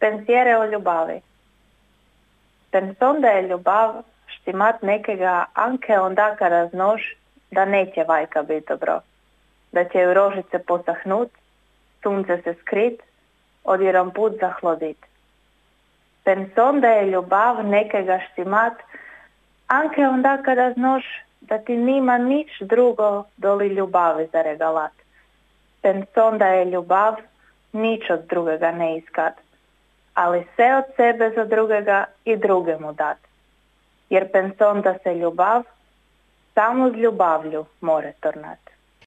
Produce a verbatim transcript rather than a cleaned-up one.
Pensiere o ljubavi. Penson da je ljubav štimat nekega anke onda kada znaš da neće vajka biti dobro. Da će ju rožice posahnut, sunce se skrit, odjedan put zahlodit. Penson da je ljubav nekega štimat anke onda kada znaš da ti nima nič drugo doli ljubavi za regalat. Penson da je ljubav nič od drugega ne iskat, ali sve od sebe za drugega i drugemu dat. Jer penson da se ljubav samo z ljubavlju more tornat.